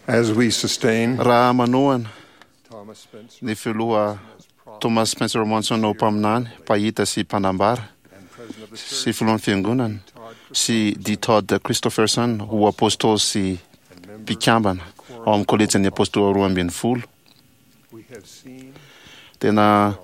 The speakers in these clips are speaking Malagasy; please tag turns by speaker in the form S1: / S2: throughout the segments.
S1: As we sustain
S2: Raha manohana
S1: Thomas Spencer
S2: ny filoha Thomas Spencer Monson ho mpaminany, mpahita sy mpanambara,
S1: and President of the
S2: sy
S1: Church,
S2: filohan'ny Fiangonana,
S1: Todd
S2: sy D. Todd Christofferson ho apôstôly sy
S1: and member
S2: mpikambana ao amin'ny kôlejin'ny apôstôly 12,
S1: we have seen
S2: tena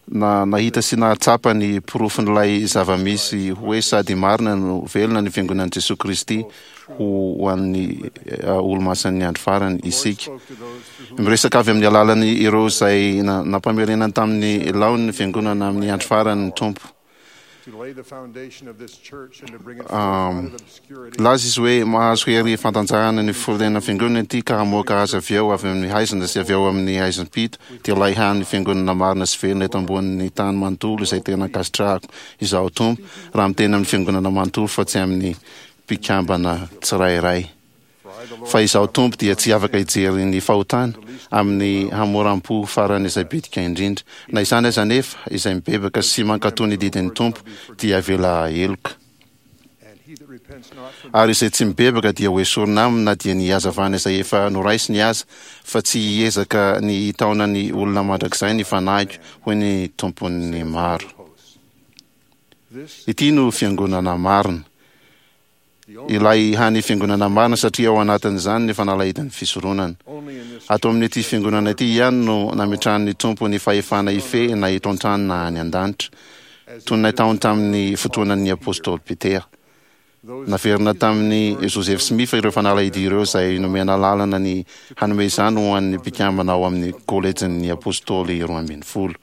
S2: na nahita sy nahatsapa ny porofon'ilay zava-misy hoe sady marina no velona ny Fiangonan'i Jesoa Kristy ho ho an'ny olomasin'ny andro farany isika.
S1: spoke to those through whom
S2: Miresaka avy amin'ny alalan'ny ireo izay na- nampamerenany tamin'ny laoniny ny Fiangonana amin'ny andro farany ny Tompo.
S1: to lay the foundation of this church and to bring it forth out of obscurity
S2: Laza izy hoe mahazo hery fantanjahana ny firenena fiangonana ity ka hamoaka azy avy eo avy amin'ny haizina sy avy ao amin'ny haizim-pito dia ilay hany fiangonana marina sy velona eto ambonin'ny tany manontolo izay tena ankasitrahako izaho Tompo raha miteny amin'ny fiangonana manontolo fa tsy amin'ny mpikambana tsirairay.
S1: For I, the Lord,
S2: Fa izaho Tompo dia tsy afaka hijery ny fahotana amin'ny hamoram-po farany izay bitika indrindra. Na izany aza anefa, izay mibebaka sy mankatò ny didin'ny Tompo dia avela heloka.
S1: and he that repents not from
S2: Ary izay tsy mibebaka dia ho esorina aminy na dia ny hazavana izay efa noraisiny aza, fa tsy hiezaka ny hitaona ny olona mandrakizay ny fanahiko, hoy ny Tompon'ny maro.
S1: hosts. This
S2: Ity no fiangonana marina.
S1: the only,
S2: Ilay hany fiangonana marina satria ao anatin'izany ny fanalahidin'ny fisoronana.
S1: only in this
S2: Ato amin'ity fiangonana ity ihany no nametrahan'ny Tompo ny fahefana hifehy na eto an-tany na any an-danitra,
S1: as
S2: toy ny nataony tamin'ny fotoanan'ny apôstôly Petera.
S1: those
S2: Naverina tamin'ny Joseph Smith ireo fanalahidy ireo izay nomena lalana ny hanome izany ho an'ny mpikambana ao amin'ny kôlejin'ny apôstôly 12.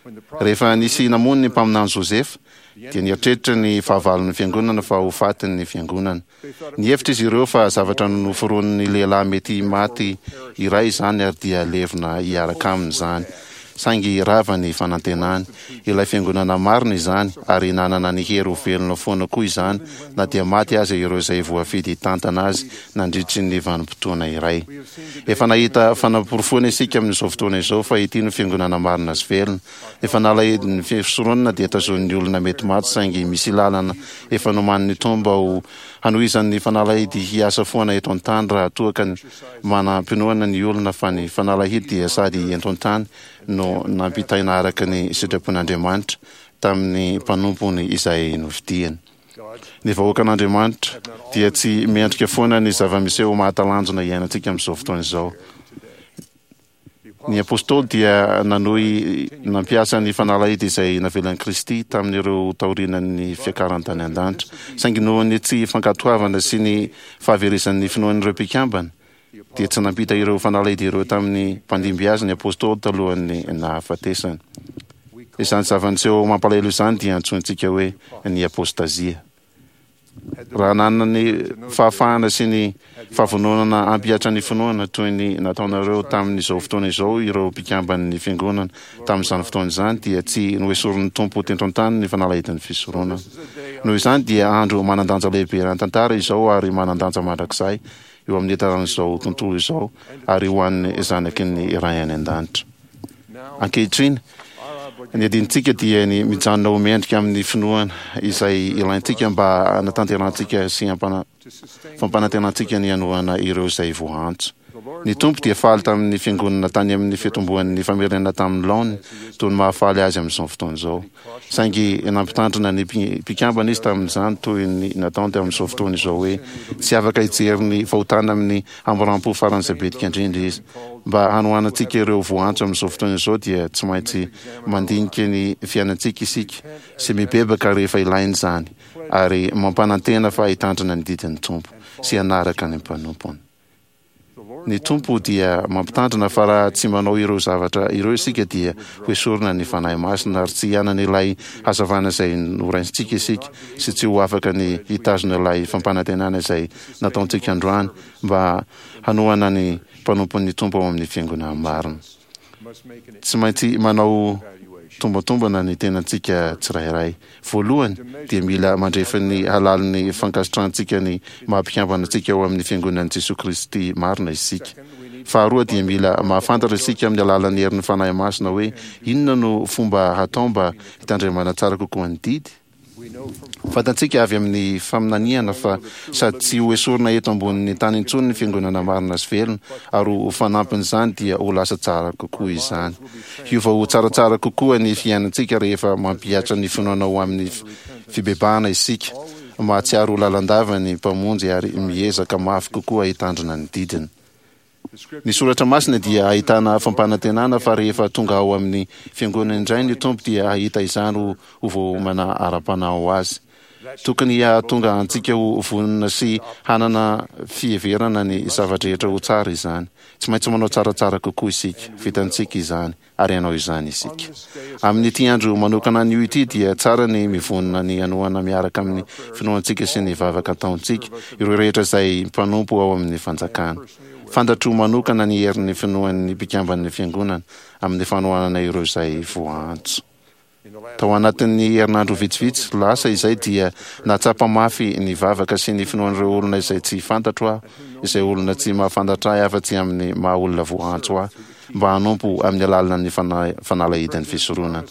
S1: when the prophet
S2: Rehefa nisy namono ny mpaminany Joseph, dia nieritreritra ny fahavalon'ny fiangonana fa ho fatin'ny fiangonana. Nihevitra izy ireo fa zavatra noforonin'ny lehilahy mety maty iray izany ary dia levona hiaraka aminy izany. Saingy rava ny fanantenany. Ilay fiangonana marina izany ary nanana ny hery ho velona foana koa izany na dia maty aza ireo izay voafidy hitantana azy nandritry ny vanim-potoana iray.
S1: we have seen today
S2: Efa nahita fanaporofoana isika amin'izao fotoana izao fa ity no fiangonana marina sy velona. Efa nalahidin'ny fisoronana dia tazonin'ny olona mety maty saingy misy lalana efa nomanin'ny Tompo mba ho hanohizan'ny fanalahidy hiasa foana eto an-tany raha toa ka manam-pinoana ny olona fa ny fanalahidy dia sady eto an-tany no nampitaina araka ny sitrapon'Andriamanitra tamin'ny mpanompony izay nofidiany.
S1: God's
S2: Ny vahoakan'Andriamanitra dia tsy miendrika foana ny zava-miseho mahatalanjona iainantsika amin'izao fotoana izao.
S1: the
S2: Ny apôstôly dia nanohy nampiasa ny fanalahidy izay navelan'i Kristy tamin'ireo taorianan'ny fiakarany tany an-danitra. Saingy noho ny tsy fankatoavana sy ny fahaverezan'ny finoan'ireo mpikambana, dia tsy nampita ireo fanalahidy ireo tamin'ny mpandimby azy ny apôstôly talohan'ny nahafatesany.
S1: we call
S2: Izany zava-niseho mampalahelo izany dia antsointsika hoe ny apôstazia.
S1: had the
S2: Raha nanana ny fahafahana sy ny fahavononana hampihatra ny finoana toy ny nataonareo tamin'izao fotoana izao ireo mpikamban'ny fiangonana tamin'izany fotoana izany dia tsy noesorin'ny Tompo teto an-tany ny fanalahidin'ny fisoronana.
S1: this is a day
S2: Noho izany dia andro manan-danja lehibe eran-tantara izao ary manan-danja mandrakizay eo amin'ny taran'izao tontolo izao ary ho an'ny zanaky ny Ray any an-danitra.
S1: now
S2: Ankehitriny,
S1: our
S2: ny
S1: obligation
S2: adintsika dia ny mijanona ho mendrika amin'ny finoana izay ilaintsika mba hanatanterantsika sy hampana-
S1: to sustain
S2: fampanantenantsika ny hanohana ireo izay voaantso.
S1: the Lord
S2: Ny
S1: was
S2: Tompo dia
S1: well
S2: faly tamin'ny fiangonana tany amin'ny fitomboan'ny famerenana tamin'ny laoniny toy ny mahafaly azy amin'izao fotoana izao. Saingy nampitandrina ny mpikambana izy tamin'izany toy ny nataony tamin'izao fotoana izao hoe tsy afaka hijery ny fahotana amin'ny hamoram-po faran'izay bitika indrindra izy. Mba hanohanantsika ireo voaantso amin'izao fotoana izao dia tsy maintsy mandinika ny fiainantsika isika sy mibebaka rehefa ilaina izany ary mampanantena fa hitandrina ny didin'ny Tompo sy hanaraka ny mpanompony.
S1: the Lord
S2: Ny Tompo dia mampitandrina fa raha tsy manao ireo zavatra ireo isika dia ho esorina ny Fanahy Masina ary tsy hanana ilay hazavana izay noraisintsika isika sy tsy ho afaka ny hitazona ilay fampanantenana izay nataontsika androany mba hanohana ny mpanompon'ny Tompo ao amin'ny fiangonana marina.
S1: must make an
S2: Tsy maintsy manao
S1: evaluation
S2: tombantombana ny tenantsika tsirairay. Voalohany dia mila mandrefy ny halalin'ny fankasitrahantsika ny maha-mpikambana antsika ao amin'ny fiangonan'i Jesoa Kristy marina isika.
S1: Second, we need
S2: Faharoa dia mila mahafantatra isika amin'ny alalan'ny herin'ny Fanahy Masina hoe inona no fomba hatao mba hitandremana tsara kokoa ny didy. Fantatsika avy amin'ny faminaniana fa sady tsy ho esorina eto ambonin'ny tany intsony ny fiangonana marina sy velona, ary ho fanampin'izany dia ho lasa tsara kokoa izany. Hiova ho tsaratsara kokoa ny fiainantsika rehefa mampihatra ny finoana ho amin'ny fibebahana isika, mahatsiaro ho lalandava ny Mpamonjy ary miezaka mafy kokoa hitandrina ny didiny. Ny soratra masina dia ahitana fampanantenana fa rehefa tonga ao amin'ny fiangonana indray ny Tompo dia hahita izany ho ho voaomana ara-panahy ho azy. Tokony hahatonga antsika ho vonona sy hanana fiheverana ny zava-drehetra ho tsara izany. Tsy maintsy manao tsaratsara kokoa isika. Vitantsika izany. ary hanao izany isika. Amin'ity andro manokana anio ity dia tsara ny mivonona ny hanohana miaraka amin'ny finoantsika sy ny vavaka ataontsika ireo rehetra izay mpanompo ao amin'ny fanjakana. Fantatro manokana ny herin'ny finoan'ny mpikamban'ny Fiangonana amin'ny fanohanana ireo izay voaantso. Tao anatin'ny herinandro vitsivitsy lasa izay dia nahatsapa mafy ny vavaka sy ny finoan'ireo olona izay tsy fantatro aho, izay olona tsy mahafantatra ahy afa-tsy amin'ny maha olona voaantso ahy mba hanompo amin'ny alalan'ny fanalahidin'ny fisoronana.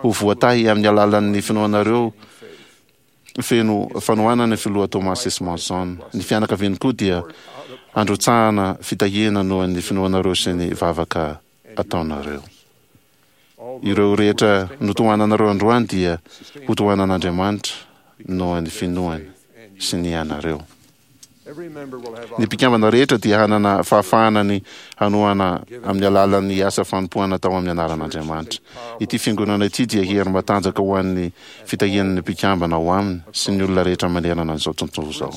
S2: Ho voatahy amin'ny alalan'ny finoanareo feno fanohanana ny Filoha Thomas S. Monson. Ny fianakaviany koa dia handrotsahana fitahiana noho ny finoanareo sy ny vavaka ataonareo. Ireo rehetra notohananareo androany dia hotohanan'Andriamanitra noho ny finoany sy ny anareo. Ny mpikambana rehetra dia hanana fahafahana ny hanohana amin'ny alalan'ny asa fanompoana atao amin'ny anaran'Andriamanitra. Ity fiangonana ity dia hery matanjaka ho an'ny fitahian'ny mpikambana ao aminy sy ny olona rehetra manerana an'izao tontolo izao.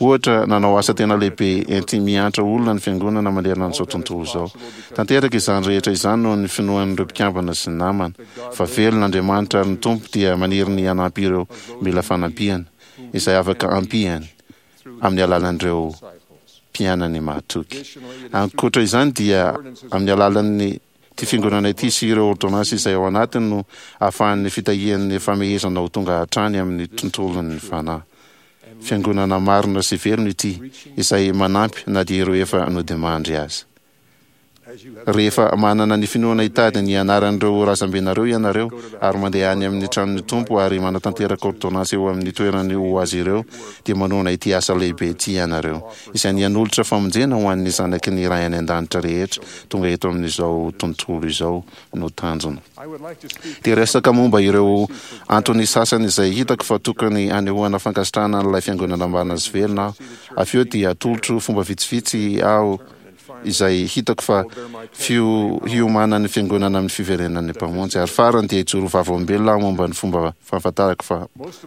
S2: Ohatra, nanao asa tena lehibe enti-miantra olona ny Fiangonana manerana an'izao tontolo izao. Tanteraka izany rehetra izany noho ny finoan'ireo mpikambana sy ny namana, fa velona Andriamanitra ary ny Tompo dia maniry ny hanampy ireo mila fanampiana, izay afaka ampiany amin'ny alalan'ireo mpianany mahatoky. Ankoatra izany dia amin'ny alalan'ny Ity Fiangonana ity sy ireo ôrdônansy izay ao anatiny no ahafahan'ny fitahian'ny famehezana ho tonga hatrany amin'ny tontolon'ny fanahy. Fiangonana marina sy velona ity, izay manampy na dia ireo efa nodimandry aza. Rehefa manana ny finoana hitady ny anaran'ireo razambenareo ianareo ary mandeha any amin'ny tranon'ny Tompo ary manatanteraka ôrdônansy eo amin'ny toerany ho azy ireo, dia manohana ity asa lehibe ity ianareo, izay ny hanolotra famonjena ho an'ny zanaky ny Ray any An-danitra rehetra tonga eto amin'izao tontolo izao no tanjona. Te hiresaka momba ireo antony sasany izay hitako fa tokony hanehoana fankasitrahana an'ilay Fiangonana marina sy velona aho. Avy eo dia hatolotro fomba vitsivitsy aho izay hitako fa fiomanan'ny Fiangonana amin'ny fiverenan'ny Mpamonjy. Ary farany dia hijoro ho vavolombelona aho momba ny fomba fahafantarako fa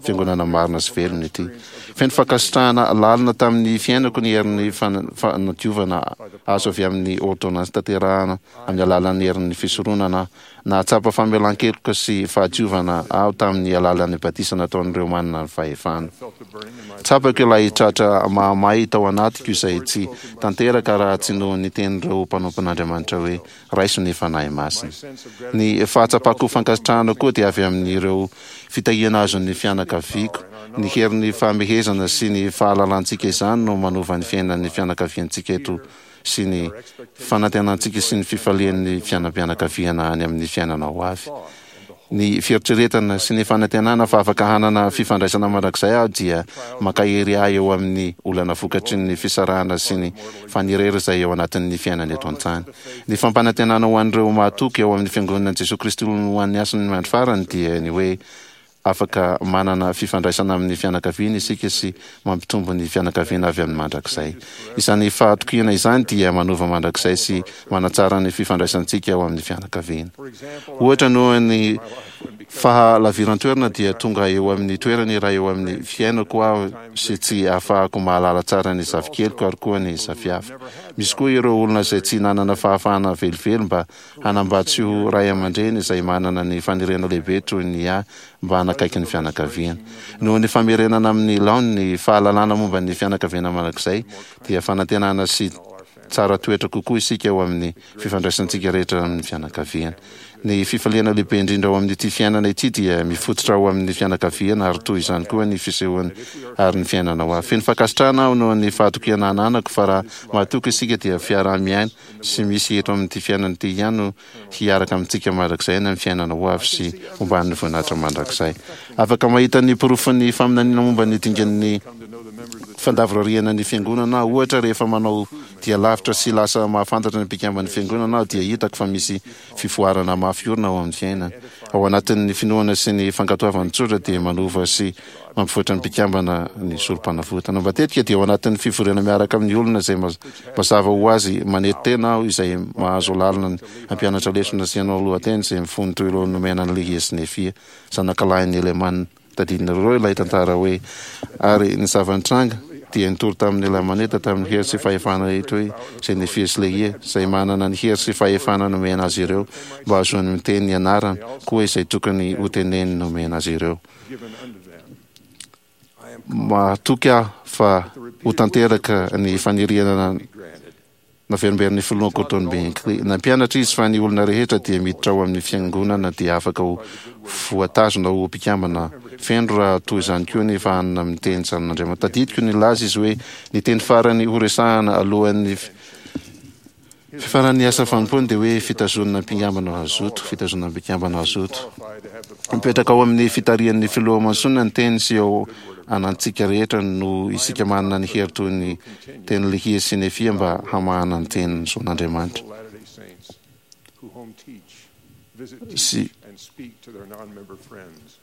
S2: Fiangonana marina sy velona ity. Feno fankasitrahana lalina tamin'ny fiainako ny herin'ny fanadiovana azo avy amin'ny ôrdônansy tanterahana amin'ny alalan'ny herin'ny fisoronana aho. Nahatsapa famelan-keloka sy fahadiovana aho tamin'ny alalan'ny batisa nataon'ireo manana ny fahefana. Tsapako ilay tratra mahamay tao anatiko izay tsy tanteraka raha tsy noho ny tenin'ireo mpanompon'Andriamanitra hoe, Raiso ny Fanahy Masina. Ny fahatsapako fankasitrahana koa dia avy amin'ireo fitahiana azon'ny fianakaviako. Ny herin'ny fahamehezana sy ny fahalalantsika izany no manova ny fiainan'ny fianakaviantsika eto sy ny fanantenantsika sy ny fifalian'ny fiainam-pianakaviana any amin'ny fiainana ho avy. Ny fieritreretana sy ny fanantenana fa afaka hanana fifandraisana mandrakizay aho dia mankahery ahy eo amin'ny olana vokatry ny fisarahana sy ny fanirery izay eo anatin'ny fiainana eto an-tany. Ny fampanantenana ho an'ireo mahatoky ao amin'ny Fiangonan'i Jesoa Kristy ho an'ny Hasin'ny Andro Farany dia ny hoe Afaka manana fifandraisana amin'ny fianakaviana isika sy mampitombo ny fianakaviana avy amin'ny mandrakizay. Izany fahatokiana izany dia manova mandrakizay sy manatsara ny fifandraisantsika ao amin'ny fianakaviana. Ohatra, noho ny fahalaviran-toerana dia tonga eo amin'ny toerana iray eo amin'ny fiainako aho sy tsy ahafahako mahalala tsara ny zafikeliko ary koa ny zafiafiko. Misy koa ireo olona izay tsy nanana fahafahana velively mba Hanambady sy ho ray aman-dreny izay manana ny faniriana lehibe toy ny ahy mba hanakaiky ny fianakaviana. Noho ny famerenana amin'ny laoniny ny fahalalana momba ny fianakaviana mandrakizay dia fanantenana sy tsara toetra kokoa isika eo amin'ny fifandraisantsika rehetra amin'ny fianakaviana. Ny fifaliana lehibe indrindra ao amin'ity fiainana ity dia mifototra ao amin'ny fianakaviana ary toy izany koa ny fisehoany ary ny fiainana ho avy. Feno fankasitrahana aho noho ny fahatokiana ananako fa raha mahatoky isika dia fiaraha-miaina sy misy eto amin'ity fiainana ity ihany no hiaraka amintsika mandrakizay any amin'ny fiainana ho avy sy homban'ny voninahitra mandrakizay. Afaka mahita ny porofon'ny faminaniana momba ny dingan'ny fandavorariana ny Fiangonana aho. Ohatra, rehefa manao dia lavitra sy lasa mahafantatra ny mpikamban'ny Fiangonana aho dia hitako fa misy fivoarana mafy orina ao amin'ny fiainana. Ao anatin'ny finoana sy ny fankatoavana tsotra dia manova sy mampivoatra ny mpikambana ny Sorompanavotana. Matetika dia ao anatin'ny fivoriana miaraka amin'ny olona izay mazava ho azy manety tena aho izay mahazo lalana ny hampianatra lesona sy hanao lohateny izay mifono toy ireo nomena an'i Lehia sy Nefia, zanakalahin'i Helemana. Tadidinareo ilay tantara hoe, Ary ny zava-nitranga, dia nitory tamin'ny Lamanita tamin'ny hery sy fahefana rehetra hoe izay Nefia sy Lehia, izay manana ny hery sy fahefana nomena azy ireo mba hahazoany miteny ny anarany, koa izay tokony hoteneniny nomena azy ireo. Mahatoky aho fa ho tanteraka ny faniriana Naverimberiny Filoha Gordon B. Hinckley. Nampianatra izy fa ny olona rehetra dia miditra ao amin'ny Fiangonana dia afaka ho voatazona ho mpikambana feno raha toy izany koa ny fahanana amin'ny teny zanan'Andriamanitra. Tadidiko nilaza izy hoe ny teny farany horesahana alohan'ny fifaran'ny asa fanompoany dia hoe fitazonana mpikambana hazoto, fitazonana mpikambana hazoto. Mipetraka ao amin'ny fitarihan'ny Filoha Monson ny teny sy ao anantsika rehetra noho isika manana ny hery toy ny Teny Lehia sy Nefia mba hamahana ny tenin'ny zon'Andriamanitra sy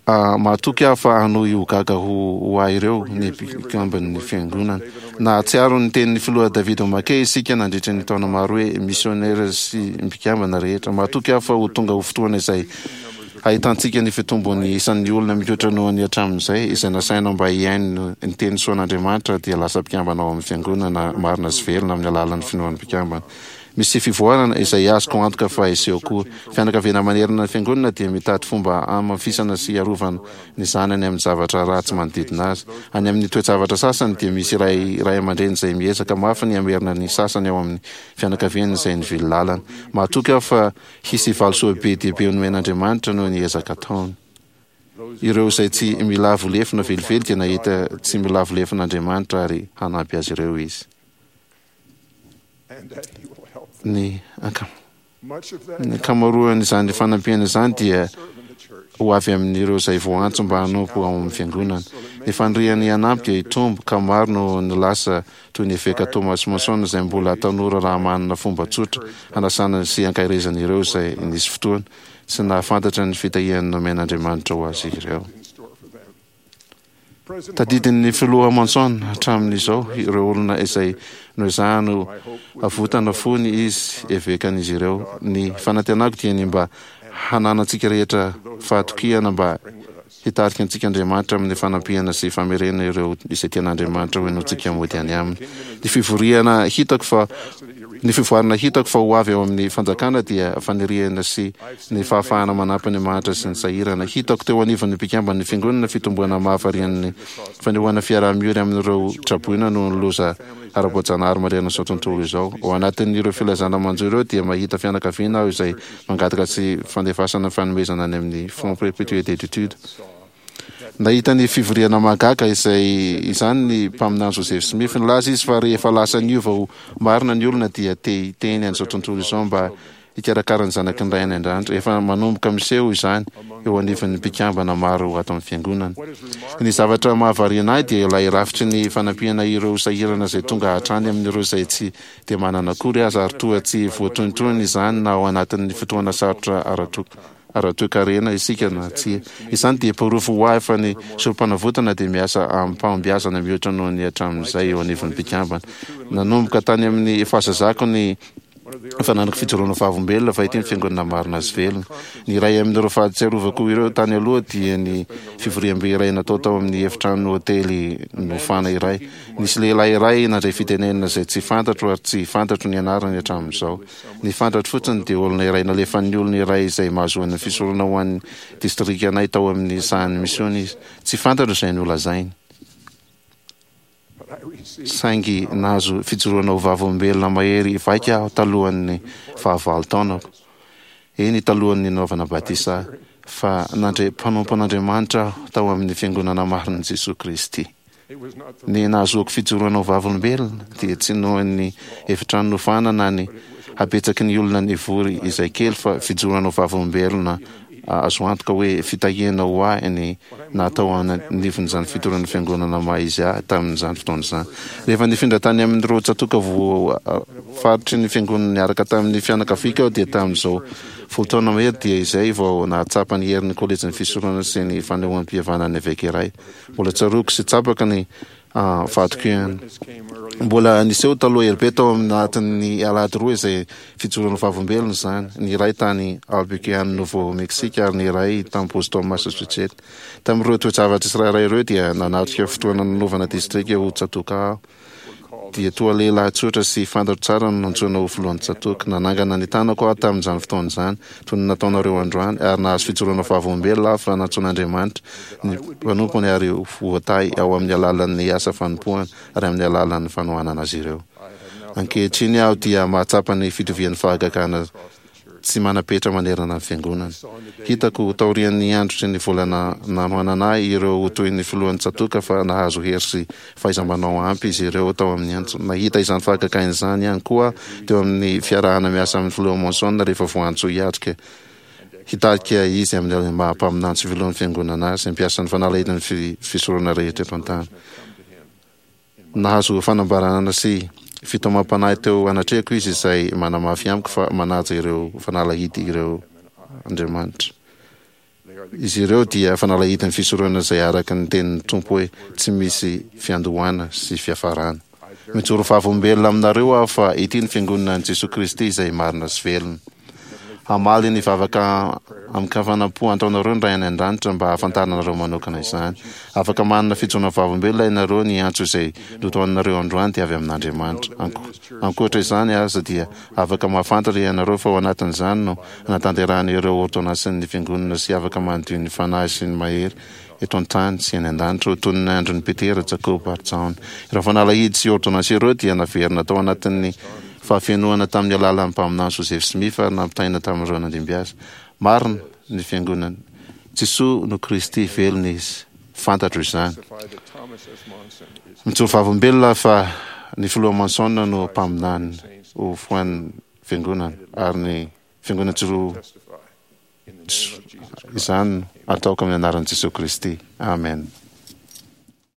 S2: Mahatoky aho fa hanohy ho gaga ho ho ahy ireo ny mpikamban'ny Fiangonana. Nahatsiaro ny tenin'ny Filoha David O. McKay isika nandritra ny taona maro hoe misiônera sy mpikambana rehetra. Mahatoky aho fa ho tonga ho fotoana izay Ahitantsika ny fitombon'ny isan'ny olona mihoatra noho ny hatramin'izay, izay nasaina mba hihaino ny teny soan'Andriamanitra dia lasa mpikambana ao amin'ny Fiangonana marina sy velona amin'ny alalan'ny finoan'ny mpikambana. Misy fivoarana izay azoko antoka fa hiseho koa. Fianakaviana manerana ny Fiangonana dia mitady fomba hamafisana sy hiarovana ny zanany amin'ny zavatra ratsy manodidina azy. Any amin'ny toe-javatra sasany dia misy iray ray aman-dreny izay miezaka mafy ny hamerina ny sasany ao amin'ny fianakaviany izay nivily lalana. Mahatoky aho fa Hisy valisoa be dia be nomen'Andriamanitra noho ny ezaka ataony. Ireo izay tsy milavo lefona velively dia nahita tsy milavo lefona Andriamanitra ary hanampy azy ireo Izy. Ny ankamaroan'izany fanampiana izany dia ho avy amin'ireo izay voantso mba hanompo ao amin'ny Fiangonana. Ny faniriany hanampy dia hitombo, ka maro no nilaza toy ny Eveka Thomas Monson izay mbola tanora raha manana fomba tsotra hanasana sy hankaherezana ireo izay nisy fotoana tsy nahafantatra ny fitahiany nomen'Andriamanitra ho azy ireo. Tadidin'ny Filoha Monson hatramin'izao ireo olona izay noezahany ho avotana fony izy evekan'izy ireo. Ny fanantenako dia ny mba hananantsika rehetra fahatokiana mba Hitarika antsika Andriamanitra amin'ny fanampiana sy famerena ireo izay tian'Andriamanitra ho henointsika mody any Aminy. Ny fivoriana hitako fa ny fivoarana hitako fa ho avy ao amin'ny fanjakana dia faniriana sy ny fahafahana manampy ny mahantra sy ny sahirana. Hitako teo anivon'ny mpikamban'ny Fiangonana fitomboana mahavarian'ny fanehoana fiaraha-miory amin'ireo traboina noho ny loza ara-boajanahary manerana izao tontolo izao. Ao anatin'ireo filazana manjo ireo dia mahita fianakaviana aho izay Mangataka tsy fandefasana fanomezana any amin'ny Fonds Perpétuel d'études. Nahita ny fivoriana mahagaga izay izany ny mpaminany Joseph Smith. Nilaza izy fa rehefa lasa niova ho marina ny olona dia te hiteny an'izao tontolo izao mba hikarakara ny zanaky ny Ray any An-danitra. Efa manomboka miseho izany eo anivon'ny mpikambana maro ato amin'ny Fiangonana. Ny zavatra mahavariana ahy dia ilay rafitry ny fanampiana ireo sahirana izay tonga hatrany amin'ireo izay tsy dia manana akory aza ary toa tsy voatohintohina izany na ao anatin'ny fotoana sarotra ara-toekarena isika na tsia. Izany dia porofo ho ahy fa ny Sorompanavotana dia miasa amim-pahombiazana mihoatra noho ny hatramin'izay eo anivon'ny mpikambana. Nanomboka tany amin'ny fahazazako ny fananako fijoroana vavolombelona fa ity ny Fiangonana marina sy velona. Ny iray amin'ireo fahatsiarovako ireo tany aloha dia ny fivoriambe iray natao tao amin'ny efitrano hotely nofana iray. Nisy lehilahy iray nandray fitenenana izay tsy fantatro ary tsy fantatro ny anarany hatramin'izao. Ny fantatro fotsiny dia olona iray nalefan'ny olona iray izay mahazoany fisorona ho an'ny distrikanay tao amin'ny sahan'ny misiona izy. Tsy fantatro izay nolazainy. Saingy nahazo fijoroana ho vavolombelona mahery vaika aho talohan'ny fahavalo taonako. Eny, talohan'ny nanaovana batisa ahy, fa nandre mpanompon'Andriamanitra aho tao amin'ny Fiangonana marin'i Jesoa Kristy. Ny nahazoako fijoroana ho vavolombelona dia tsy noho ny efitrano nofana na ny habetsaky ny olona nivory izay kely fa fijoroana ho vavolombelona azo antoka hoe fitahiana ho ahy ny natao anivon'izany fitoran'ny fiangonana maha izy ahy tamin'izany fotoana izany. Rehefa nifindra tany amin'ireo tsatòka voafaritry ny fiangonana niaraka tamin'ny fianakaviako aho dia tamin'izao 10 taona mahery dia izay vao nahatsapa ny herin'ny kolejin'ny fisoronana sy ny fanehoam-pihavanan'ny eveka iray. Mbola tsaroako sy tsapako ny Fahatokiana. Mbola niseho taloha ela be tao anatin'ny alahady roa izay fijoroana vavolombelona izany, ny iray tany Albuquerque any Nouveau Mexique ary ny iray tany Boston Massachusetts. Tamin'ireo toe-javatra tsirairay ireo dia nanatrika fotoana nanaovana distrika ho tsatòka aho. Dia toa lehilahy tsotra sy fantatro tsara no nantsoina ho filohan'ny tsatòka. Nanangana ny tanako aho tamin'izany fotoana izany, toy ny nataonareo androany, ary nahazo fijoroana vavolombelona aho fa nantsoin'Andriamanitra ny mpanompony ary ho voatahy ao amin'ny alalan'ny asa fanompoany ary amin'ny alalan'ny fanohanana azy ireo. Ankehitriny aho dia mahatsapa ny fitovian'ny fahagagana tsy manam-petra manerana ny Fiangonana. Hitako taorian'ny andro sy ny volana nanohanana ahy ireo ho toy ny filohan'ny tsatòka fa nahazo hery sy fahaiza-manao ampy izy ireo tao amin'ny antso. Nahita izany fahagagana izany ihany koa aho teo amin'ny fiarahana miasa amin'ny Filoha Monson rehefa voantso hiatrika hitarika izy amin'ny maha mpaminany sy filohan'ny Fiangonana azy, hampiasa ny fanalahidin'ny fisoronana rehetra eto an-tany. Nahazo fanambarana sy fitaomam-panahy teo anatrehako izy izay manamafy amiko fa manaja ireo fanalahidy ireo Andriamanitra. Izy ireo dia fanalahidin'ny fisoronana izay araka ny tenin'ny Tompo hoe tsy misy fiandohana sy fiafarana. Mijoro vavolombelona aminareo aho fa ity ny Fiangonana an'i Jesoa Kristy izay marina sy velona. Hamaly ny vavaka amin-kafanam-po ataonareo ny Ray any An-danitra mba hahafantaranareo manokana izany. Afaka manana fijoroana vavolombelona ianareo ny antso izay notohaninareo androany dia avy amin'Andriamanitra. Ankoatra izany aza dia afaka mahafantatra ianareo fa ao anatin'izany no hanatanterahana ireo ôrdônansin'ny Fiangonana sy afaka manodio ny fanahy sy ny mahery eto an-tany sy any an-danitra ho toy ny andron'i Petera, Jakoba ary Jaona. Ireo fanalahidy sy ôrdônansy ireo dia naverina tao anatin'ny fahafenoana tamin'ny alalan'ny mpaminany Joseph Smith ary nampitaina tamin'ireo nandimby azy. Marina ny Fiangonana. Jesoa no Kristy, velona Izy. Fantatro izany. Mijoro vavolombelona aho fa ny Filoha Monson no mpaminany ho foan'ny Fiangonana ary ny Fiangonana tsy roa Izany no ataoko amin'ny anaran'i Jesoa Kristy. Amena.